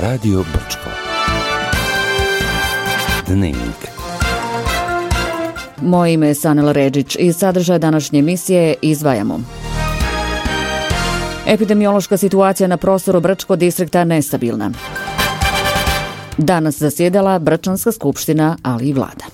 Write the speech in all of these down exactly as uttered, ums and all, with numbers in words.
Radio Brčko. Dnevnik. Moje ime je Sanela Redžić i sadržaj današnje emisije izdvajamo. Epidemiološka situacija na prostoru Brčko distrikta nestabilna. Danas zasjedala Brčanska skupština, ali i vlada.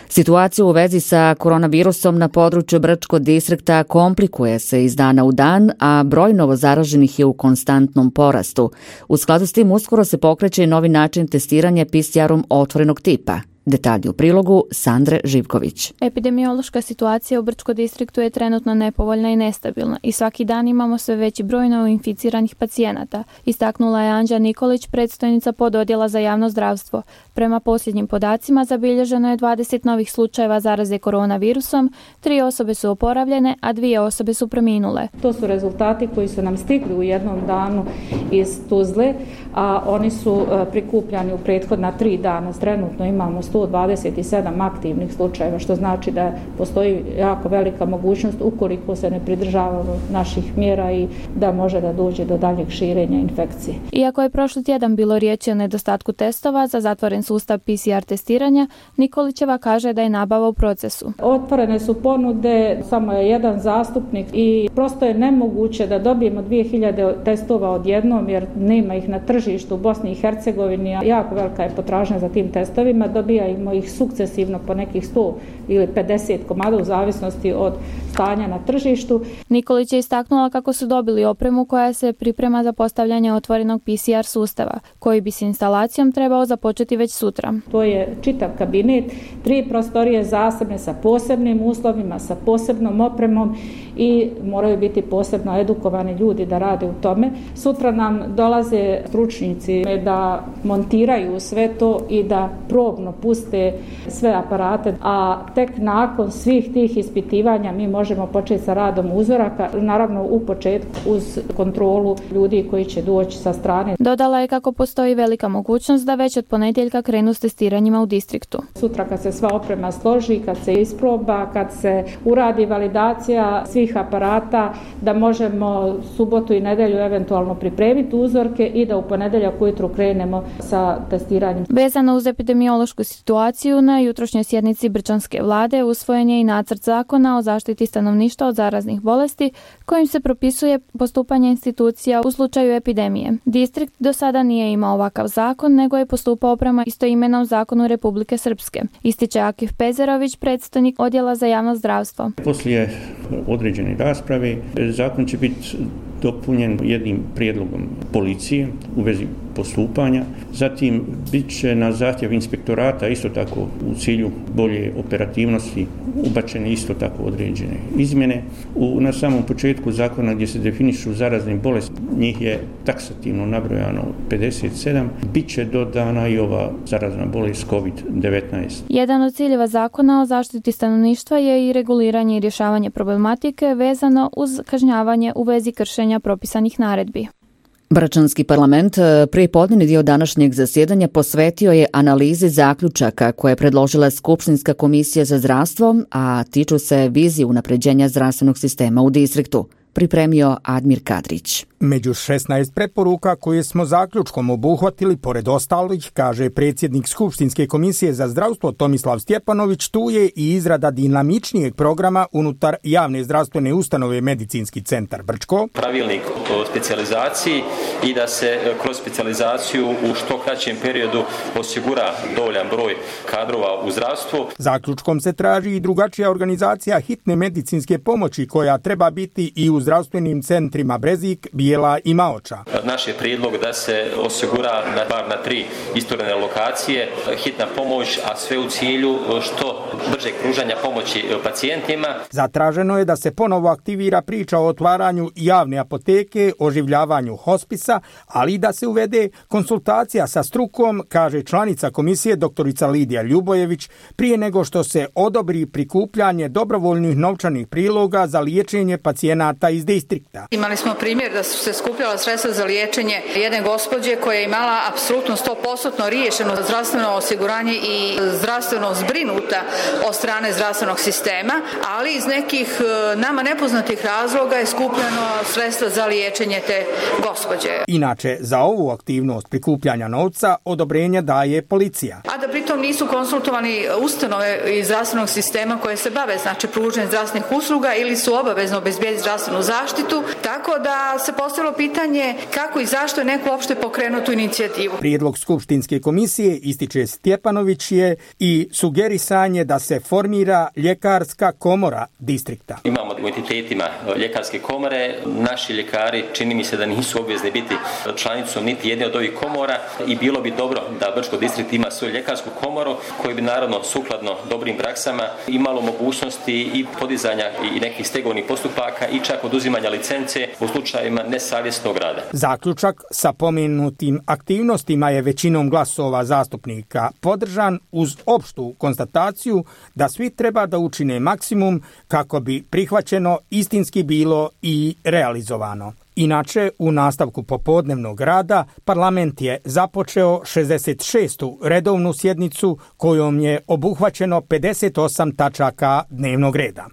Situacija u vezi sa koronavirusom na području Brčko distrikta komplikuje se iz dana u dan, a broj novozaraženih je u konstantnom porastu. U skladu s tim uskoro se pokreće i novi način testiranja P C R-om otvorenog tipa. Detalji u prilogu Sandre Živković. Epidemiološka situacija u Brčko distriktu je trenutno nepovoljna i nestabilna i svaki dan imamo sve veći broj novoinficiranih pacijenata, istaknula je Anđa Nikolić, predstojnica pododjela za javno zdravstvo. Prema posljednjim podacima zabilježeno je dvadeset novih slučajeva zaraze koronavirusom, tri osobe su oporavljene, a dvije osobe su preminule. To su rezultati koji su nam stigli u jednom danu iz Tuzle, a oni su prikupljani u prethodna tri dana. Trenutno imamo sto dvadeset sedam aktivnih slučajeva, što znači da postoji jako velika mogućnost, ukoliko se ne pridržavamo naših mjera, i da može da dođe do daljeg širenja infekcije. Iako je prošli tjedan bilo riječi o nedostatku testova za zatvoren sustav P C R testiranja, Nikolićeva kaže da je nabava u procesu. Otvorene su ponude, samo je jedan zastupnik i prosto je nemoguće da dobijemo dvije hiljade testova odjednom, jer nema ih na tržištu u Bosni i Hercegovini. Jako velika je potražnja za tim testovima, dobijamo ih sukcesivno po nekih sto ili pedeset komada u zavisnosti od stanja na tržištu. Nikolić je istaknula kako su dobili opremu koja se priprema za postavljanje otvorenog P C R sustava, koji bi s instalacijom trebao započeti već sutra. To je čitav kabinet, tri prostorije zasebne sa posebnim uslovima, sa posebnom opremom, i moraju biti posebno edukovani ljudi da rade u tome. Sutra nam dolaze stručnjaci da montiraju sve to i da probno puste sve aparate, a tek nakon svih tih ispitivanja mi možemo početi sa radom uzoraka, naravno u početku uz kontrolu ljudi koji će doći sa strane. Dodala je kako postoji velika mogućnost da već od ponedjeljka krenu s testiranjima u distriktu. Sutra kad se sva oprema složi, kad se isproba, kad se uradi validacija svih aparata, da možemo subotu i nedjelju eventualno pripremiti uzorke i da u ponedjeljak ujutro krenemo sa testiranjem. Vezano uz epidemiološku situaciju, na jutrošnjoj sjednici Brčanske vlade usvojen je i nacrt zakona o zaštiti stanovništva od zaraznih bolesti, kojim se propisuje postupanje institucija u slučaju epidemije. Distrikt do sada nije imao ovakav zakon, nego je postupao prema istoimenom zakonu Republike Srpske. Ističe Akif Pezerović, predstojnik odjela za javno zdravstvo. Poslije određene rasprave zakon će biti dopunjen jednim prijedlogom policije u vezi postupanja. Zatim bit će na zahtjev inspektorata isto tako u cilju bolje operativnosti ubačene isto tako određene izmjene. U, na samom početku zakona gdje se definišu zarazne bolesti, njih je taksativno nabrojano pedeset sedam, bit će dodana i ova zarazna bolest kovid devetnaest. Jedan od ciljeva zakona o zaštiti stanovništva je i reguliranje i rješavanje problematike vezano uz kažnjavanje u vezi kršenja propisanih naredbi. Brčanski parlament prijepodnevni dio današnjeg zasjedanja posvetio je analizi zaključaka koje je predložila Skupštinska komisija za zdravstvo, a tiču se vizije unapređenja zdravstvenog sistema u distriktu. Pripremio Admir Kadrić. Među šesnaest preporuka koje smo zaključkom obuhvatili, pored ostalih, kaže predsjednik Skupštinske komisije za zdravstvo Tomislav Stjepanović, tu je i izrada dinamičnijeg programa unutar javne zdravstvene ustanove Medicinski centar Brčko, pravilnik o specijalizaciji i da se kroz specijalizaciju u što kraćem periodu osigura dovoljan broj kadrova u zdravstvu. Zaključkom se traži i drugačija organizacija hitne medicinske pomoći koja treba biti i u zdravstvenim centrima Brezik, Bijela i Maoča. Naš je prijedlog da se osigura na bar na tri isturene lokacije hitna pomoć, a sve u cilju što bržeg pružanja pomoći pacijentima. Zatraženo je da se ponovo aktivira priča o otvaranju javne apoteke, oživljavanju hospisa, ali i da se uvede konsultacija sa strukom, kaže članica komisije doktorica Lidija Ljubojević, prije nego što se odobri prikupljanje dobrovoljnih novčanih priloga za liječenje pacijenata iz distrikta. Imali smo primjer da su su se skupljala sredstva za liječenje jedne gospođe koja je imala apsolutno sto posto riješeno zdravstveno osiguranje i zdravstveno zbrinuta od strane zdravstvenog sistema, ali iz nekih nama nepoznatih razloga je skupljeno sredstva za liječenje te gospođe. Inače, za ovu aktivnost prikupljanja novca odobrenje daje policija. A da pritom nisu konsultovani ustanove iz zdravstvenog sistema koje se bave, znači pružanjem zdravstvenih usluga ili su obavezno obezbijediti zdravstvenu zaštitu, tako da se postavilo pitanje kako i zašto je neko uopšte pokrenuo tu inicijativu. Prijedlog Skupštinske komisije, ističe Stjepanović, je i sugerisanje da se formira ljekarska komora distrikta. Imamo u entitetima ljekarske komore, naši ljekari čini mi se da nisu obvezni biti članicom niti jedne od ovih komora i bilo bi dobro da Brčko distrikt ima svoju ljekarsku komoru koji bi naravno sukladno dobrim praksama imalo mogućnosti i podizanja i nekih stegovnih postupaka i čak oduzimanja licence u slučajevima nesavjesnog rada. Zaključak sa pomenutim aktivnostima je većinom glasova zastupnika podržan uz opštu konstataciju da svi treba da učine maksimum kako bi prihvaćeno istinski bilo i realizovano. Inače, u nastavku popodnevnog rada parlament je započeo šezdeset šestu redovnu sjednicu kojom je obuhvaćeno pedeset osam tačaka dnevnog reda.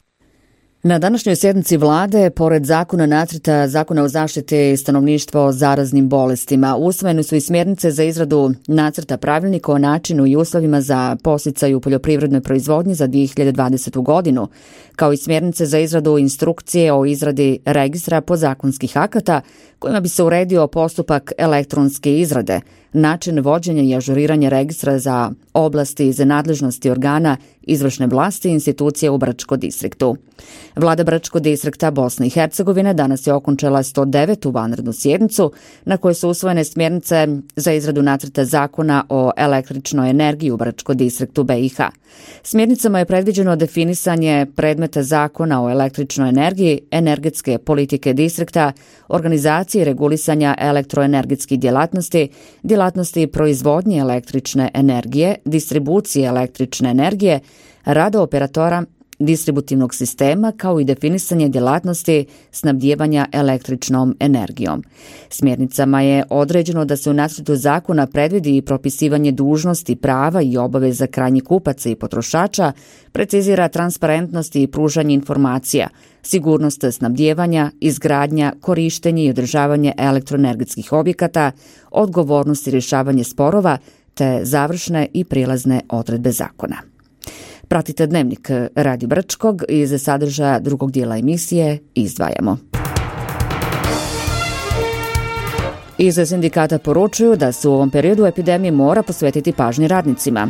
Na današnjoj sjednici vlade, pored zakona nacrta zakona o zaštiti stanovništva o zaraznim bolestima, usvojene su i smjernice za izradu nacrta pravilnika o načinu i uslovima za podsticaj u poljoprivrednoj proizvodnji za dvije hiljade dvadesetu. godinu, kao i smjernice za izradu instrukcije o izradi registra podzakonskih akata kojima bi se uredio postupak elektronske izrade, način vođenja i ažuriranja registra za oblasti iz nadležnosti organa izvršne vlasti i institucije u Brčko distriktu. Vlada Brčko distrikta Bosne i Hercegovine danas je okončala sto devetu vanrednu sjednicu na kojoj su usvojene smjernice za izradu nacrta zakona o električnoj energiji u Brčko distriktu B i H. Smjernicama je predviđeno definisanje predmeta zakona o električnoj energiji, energetske politike distrikta, organizacije i regulisanja elektroenergetskih djelatnosti, djelatnosti proizvodnje električne energije, distribucije električne energije, rada operatora distributivnog sistema kao i definisanje djelatnosti snabdijevanja električnom energijom. Smjernicama je određeno da se u nacrtu zakona predvidi i propisivanje dužnosti, prava i obaveza krajnjih kupaca i potrošača, precizira transparentnost i pružanje informacija, sigurnost snabdijevanja, izgradnja, korištenje i održavanje elektroenergetskih objekata, odgovornost i rješavanje sporova te završne i prijelazne odredbe zakona. Pratite Dnevnik Radio Brčkog i za sadržaja drugog dijela emisije izdvajamo. Iz sindikata poručuju da se u ovom periodu epidemije mora posvetiti pažnji radnicima.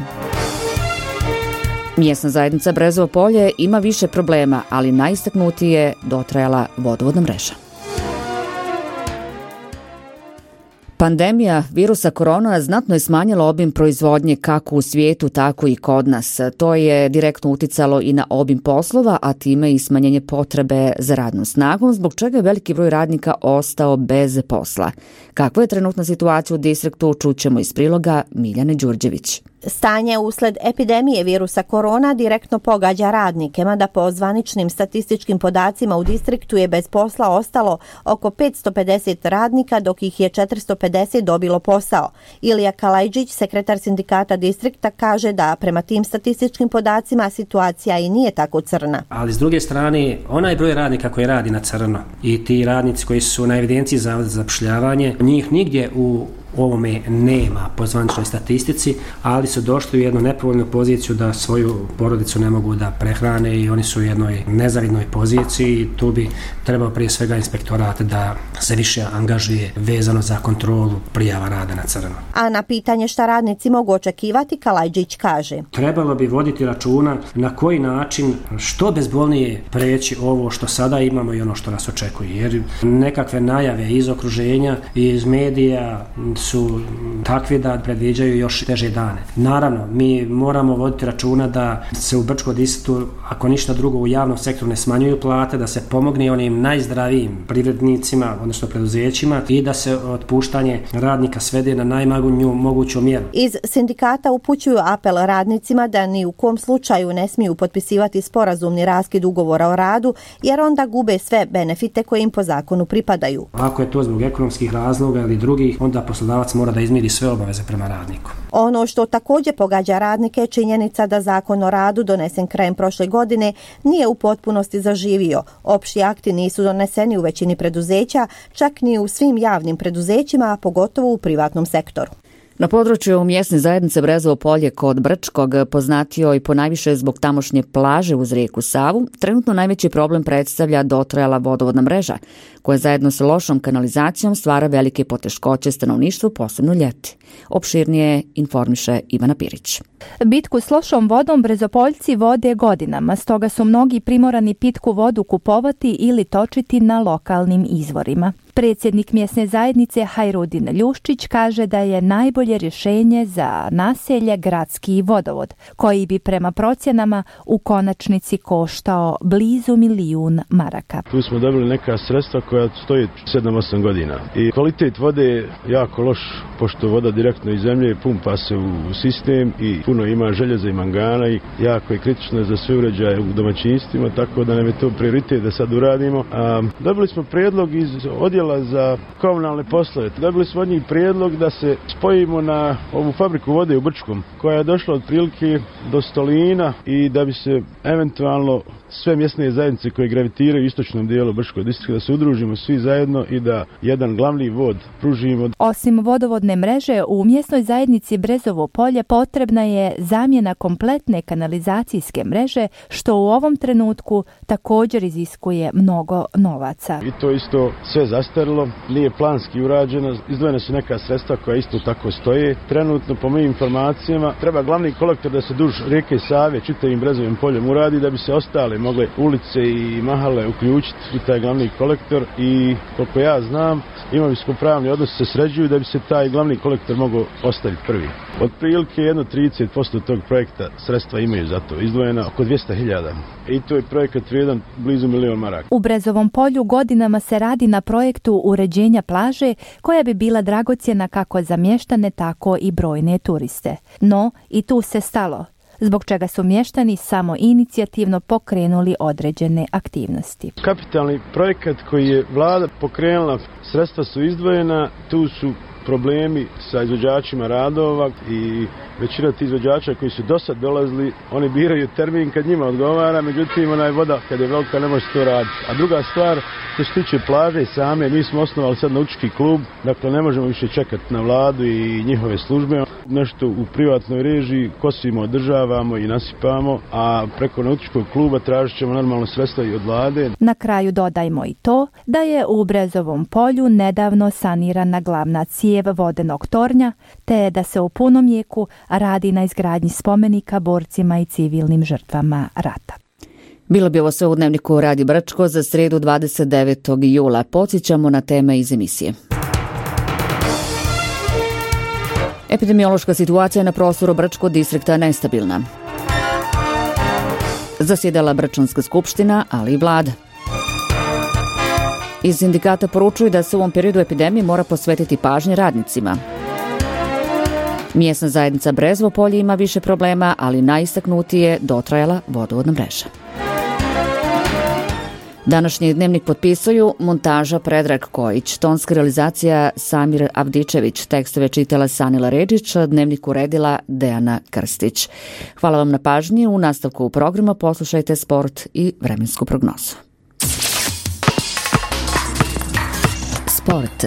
Mjesna zajednica Brezovo polje ima više problema, ali najistaknutiji je dotrajala vodovodna mreža. Pandemija virusa korona znatno je smanjila obim proizvodnje kako u svijetu, tako i kod nas. To je direktno uticalo i na obim poslova, a time i smanjenje potrebe za radnom snagom, zbog čega je veliki broj radnika ostao bez posla. Kakva je trenutna situacija u distriktu, čućemo iz priloga Miljane Đurđević. Stanje usled epidemije virusa korona direktno pogađa radnike, mada po zvaničnim statističkim podacima u distriktu je bez posla ostalo oko petsto pedeset radnika, dok ih je četiristo pedeset dobilo posao. Ilija Kalajđić, sekretar sindikata distrikta, kaže da prema tim statističkim podacima situacija i nije tako crna. Ali s druge strane, onaj broj radnika koji radi na crno i ti radnici koji su na evidenciji Zavoda za zapošljavanje, njih nigdje u ovome nema po zvaničnoj statistici, ali su došli u jednu nepovoljnu poziciju da svoju porodicu ne mogu da prehrane i oni su u jednoj nezavidnoj poziciji i tu bi trebao prije svega inspektorat da se više angažuje vezano za kontrolu prijava rada na crno. A na pitanje šta radnici mogu očekivati, Kalajđić kaže: trebalo bi voditi računa na koji način što bezbolnije preći ovo što sada imamo i ono što nas očekuje, jer nekakve najave iz okruženja i iz medija su takvi da predviđaju još teže dane. Naravno, mi moramo voditi računa da se u Brčko-Distriktu, ako ništa drugo, u javnom sektoru ne smanjuju plate, da se pomogne onim najzdravijim privrednicima, odnosno preduzećima, i da se otpuštanje radnika svede na najmanju moguću mjeru. Iz sindikata upućuju apel radnicima da ni u kom slučaju ne smiju potpisivati sporazumni raskid ugovora o radu, jer onda gube sve benefite koje im po zakonu pripadaju. Ako je to zbog ekonomskih razloga ili drugih, onda poslodavac mora da izmiri sve obaveze prema radniku. Ono što također pogađa radnike je činjenica da Zakon o radu donesen krajem prošle godine nije u potpunosti zaživio. Opšti akti nisu doneseni u većini preduzeća, čak ni u svim javnim preduzećima, a pogotovo u privatnom sektoru. Na području mjesne zajednice Brezovo polje kod Brčkog, poznatio i ponajviše zbog tamošnje plaže uz rijeku Savu, trenutno najveći problem predstavlja dotrajala vodovodna mreža, koja zajedno sa lošom kanalizacijom stvara velike poteškoće stanovništvu, posebno ljeti. Opširnije informiše Ivana Pirić. Bitku s lošom vodom Brezopoljci vode godinama, stoga su mnogi primorani pitku vodu kupovati ili točiti na lokalnim izvorima. Predsjednik mjesne zajednice Hajrudin Ljuščić kaže da je najbolje rješenje za naselje gradski vodovod, koji bi prema procjenama u konačnici koštao blizu milijun maraka. Tu smo dobili neka sredstva koja stoji sedam osam godina i kvalitet vode je jako loš, pošto voda direktno iz zemlje pumpa se u sistem i puno ima željeza i mangana i jako je kritično za sve uređaje u domaćinstvima, tako da nam je to prioritet da sad uradimo. A, dobili smo prijedlog iz odjela za komunalne poslove. Dobili smo od njih prijedlog da se spojimo na ovu fabriku vode u Brčkom, koja je došla otprilike do Stolina i da bi se eventualno sve mjesne zajednice koje gravitiraju u istočnom dijelu Brčkog distrikta da se udružimo svi zajedno i da jedan glavni vod pružimo. Osim vodovodne mreže, u mjesnoj zajednici Brezovo polje potrebna je zamjena kompletne kanalizacijske mreže, što u ovom trenutku također iziskuje mnogo novaca. I to isto sve zastarilo, nije planski urađeno, izdvojene su neka sredstva koja isto tako stoje. Trenutno, po mojim informacijama, treba glavni kolektor da se duž rijeke Save čitavim Brezovim poljem uradi da bi se ostale mogle ulice i mahale uključiti u taj glavni kolektor i koliko ja znam, imovinsko-pravni odnosi se sređuju da bi se taj glavni kolektor mogao ostaviti prvi. Od prilike jedno trideset posto tog projekta sredstva imaju za to, izdvojena oko dvjesto hiljada. I to je projekat vrijedan blizu milion maraka. U Brezovom polju godinama se radi na projektu uređenja plaže koja bi bila dragocjena kako za mještane, tako i brojne turiste. No, i tu se stalo, zbog čega su mještani samo inicijativno pokrenuli određene aktivnosti. Kapitalni projekat koji je vlada pokrenula, sredstva su izdvojena, tu su problemi sa izvođačima radova i većina tih izvođača koji su do sad dolazili, oni biraju termin kad njima odgovara, međutim ona je voda kad je velika ne može to raditi. A druga stvar, što se tiče plaže same, mi smo osnovali sad nautički klub, dakle ne možemo više čekati na vladu i njihove službe. Nešto u privatnoj režiji kosimo, održavamo i nasipamo, a preko nautičkog kluba tražit ćemo normalno sredstva i od vlade. Na kraju dodajmo i to da je u Brezovom polju nedavno sanirana glavna cijev vodenog tornja, te da se u punom jeku radi na izgradnji spomenika borcima i civilnim žrtvama rata. Bilo bi ovo sve u Dnevniku Radio Brčko za sredu dvadeset devetog jula. Podsjećamo na teme iz emisije. Epidemiološka situacija na prostoru Brčkog distrikta nestabilna. Zasjedala Brčanska skupština, ali i vlada. Iz sindikata poručuju da se u ovom periodu epidemije mora posvetiti pažnje radnicima. Mjesna zajednica Brezovo polje ima više problema, ali najistaknutije je dotrajala vodovodna mreža. Današnji dnevnik potpisuju montaža Predrag Kojić, tonska realizacija Samir Avdičević, tekstove čitala Sanila Redžić, dnevnik uredila Dejana Krstić. Hvala vam na pažnji, u nastavku programa poslušajte sport i vremensku prognozu. Sport.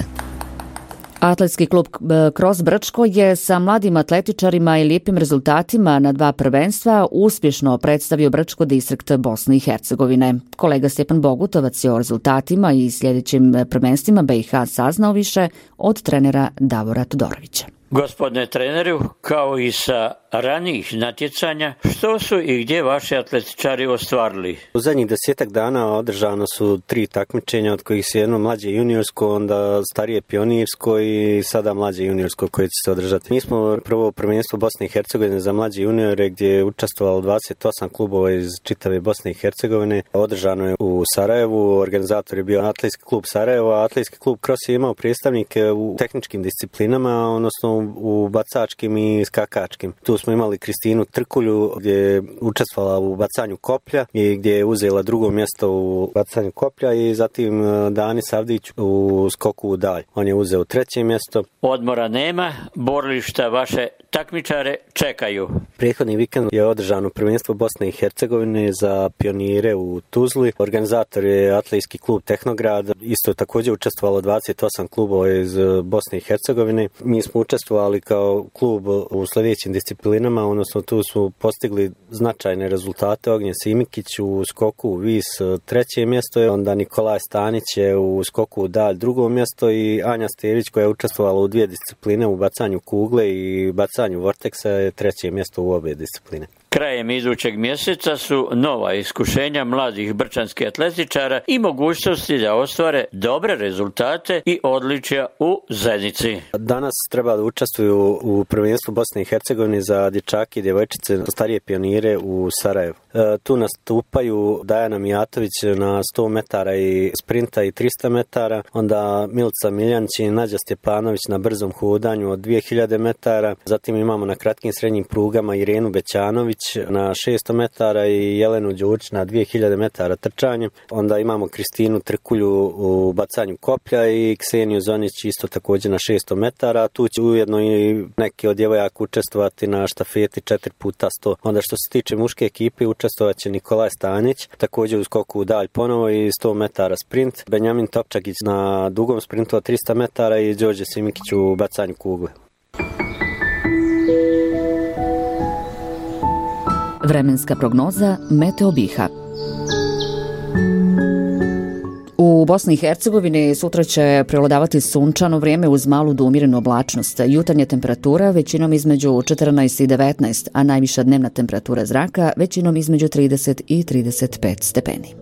Atletski klub Kroz Brčko je sa mladim atletičarima i lijepim rezultatima na dva prvenstva uspješno predstavio Brčko distrikt Bosne i Hercegovine. Kolega Stjepan Bogutovac je o rezultatima i sljedećim prvenstvima B i H saznao više od trenera Davora Todorovića. Gospodine treneru, kao i sa ranijih natjecanja, što su i gdje vaši atletičari ostvarili? U zadnjih desetak dana održano su tri takmičenja, od kojih se jedno mlađe juniorsko, onda starije pionirsko i sada mlađe juniorsko koje će se održati. Mi smo prvo prvenstvo Bosne i Hercegovine za mlađe juniore gdje je učestvovalo dvadeset osam klubova iz čitave Bosne i Hercegovine. Održano je u Sarajevu, organizator je bio Atletski klub Sarajevo, a Atletski klub Kros je imao predstavnike u tehničkim disciplinama, odnosno u bacačkim i skakačkim. Tu smo imali Kristinu Trkulju gdje je učestvovala u bacanju koplja i gdje je uzela drugo mjesto u bacanju koplja i zatim Dani Savdić u skoku u dalj. On je uzeo treće mjesto. Odmora nema, borilišta vaše takmičare čekaju. Prethodni vikend je održano prvenstvo Bosne i Hercegovine za pionire u Tuzli. Organizator je Atletski klub Tehnograd. Isto je također učestvovalo dvadeset osam klubova iz Bosne i Hercegovine. Mi smo učestvovali kao klub u sljedećim disciplinama, odnosno tu su postigli značajne rezultate. Ognjen Simikić u skoku vis treće mjesto, onda Nikolaj Stanić je u skoku u dalj drugo mjesto i Anja Stević koja je učestvovala u dvije discipline, u bacanju kugle i bacanju vorteksa, je treće mjesto u obje discipline. Krajem idućeg mjeseca su nova iskušenja mladih brčanskih atletičara i mogućnosti da ostvare dobre rezultate i odličja u Zenici. Danas treba da učestvuju u prvenstvu Bosne i Hercegovine za dječake i djevojčice starije pionire u Sarajevu. E, tu nastupaju Dajana Mijatović na sto metara i sprinta i trista metara, onda Milica Miljanić i Nađa Stjepanović na brzom hodanju od dvije hiljade metara, zatim imamo na kratkim srednjim prugama Irenu Bećanović na šesto metara i Jelenu Đurić na dvije hiljade metara trčanje. Onda imamo Kristinu Trkulju u bacanju koplja i Kseniju Zonić isto također na šesto metara. Tu će ujedno i neki od djevojaka učestvovati na štafeti četiri puta sto. Onda što se tiče muške ekipe učestvovat će Nikolaj Stanić, također u skoku u dalj ponovo i sto metara sprint. Benjamin Topčagić na dugom sprintu od trista metara i Đorđe Simikić u bacanju kugle. Vremenska prognoza Meteo Biha. U Bosni i Hercegovini sutra će prevladavati sunčano vrijeme uz malu do umjerenu oblačnost. Jutarnja temperatura većinom između četrnaest i devetnaest, a najviša dnevna temperatura zraka većinom između trideset i trideset pet stepeni.